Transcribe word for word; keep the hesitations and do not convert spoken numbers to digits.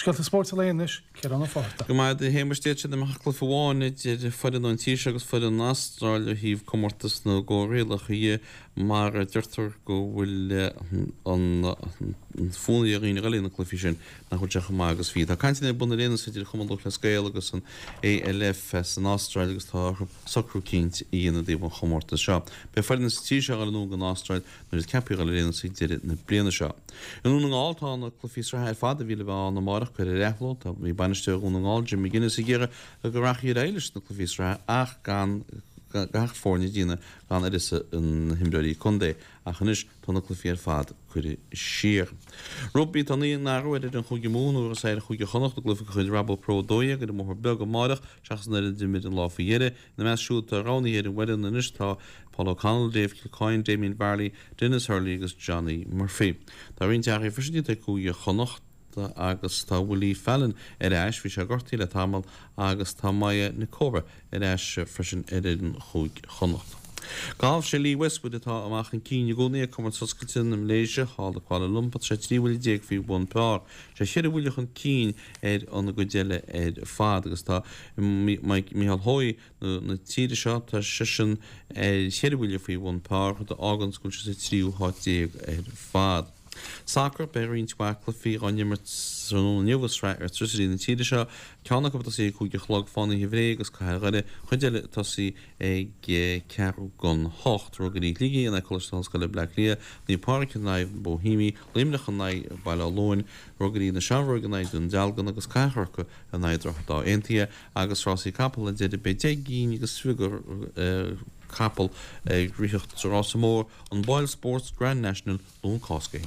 Scéalta spóirt an lae anois, Ciarán Ó Fátharta. Go maith a Shéamais, d'fhéadfadh sé go mbeadh cluiche amháin idir foireann ón tír seo agus foireann na hAstráile ó thaobh comórtas na gcomhrialacha dhe mar deirtear go bhfuil an fonn ar dhaoine a dhul ag na cluichí sin nach bhfuil sé chomh maith agus bhí. Tá cainteanna ar bun ar aon nós idir Chumann Lúthchleas Gael agus an A L F san Astráil agus tá orthu socrú eicínt a dhéanamh i dtaobh an chomórtais seo. Beidh foireann sa tír seo ag dul anonn don Astráil nuair is ceaptha a dhul ar aon nós ag deireadh na bliana seo. I nDún na nGall tá na cluichí sraithe ar fad a bhí le bheith ann amárach curtha ar athló. Tá bhí bainisteoir Dhún na nGall Jim McGuinness ag iarraidh go rachfaí ar aghaidh leis na cluichí sraithe ach gan gach foirne a dhéanamh gan uireasa na himreoirí contae ach anois tá na cluichí ar fad curtha siar. Rugbaí. Tá naoi n-athrú ar fhoireann Chúige Mumhan a bhuafas ar Chúige Chonnacht i gcluiche de chuid Rabo Pro a dó dhéag ar an mBóthar Beag amárach seachas an fhoireann a d'imir an lá faoi dheireadh. Ina measc siúd atá roghnaithe ar an bhfoireann anois tá Paul O'Connell, Dave Kilcoyne, Damien Varley, Denis Hurley agus Johnny Murphy. Tá roinnt athruithe freisin déanta ag Cúige Chonnacht agus tá Willie Fallon ar ais, bhí sé gortaithe le tamall agus tá Maya Nikora ar ais freisin ar fhoireann Chúige Chonnacht. Galf. Sé Lee Westwood atá amach chun cinn i gcónaí ag Comórtas Oscailte na Malaeisia thall i Kuala Lumpur, tá sé trí bhuille déag faoi bhun par. Sé cheithre bhuille chun cinn ar an gcuid eile ar fad agus tá Micheál Hoey na tíre seo, tá seisean ar cheithre bhuille faoi bhun par, rud a fhágann go bhfuil sé sa tríú háit déag ar fad. Sacar. Beidh roinnt mhaith cluichí á n-imirt tráthnóna inniu i sraith Airtricity na tíre seo, ceann acu ag tosaí ag cúig a chlog, Fánaithe Bhré agus Cathair Dhoire, cuid eile ag tosaí ag ceathrú don hocht, Ruagairí Shligigh in aghaidh Coláiste na hOllscoile Bleá Cliath, Naomh Pádraig in aghaidh Bohemia, Luimneach in aghaidh Baile Átha Luain, Ruagairí na Seamróige in aghaidh Dún Dealgan agus Cathair Chorcaí in aghaidh Droichead Átha Aontaithe. Agus rásaí capall ar deireadh, beidh deich gcinn agus fiche capall ag ritheacht sa rása mór, an Boylesports Grand National, Luan Cásca.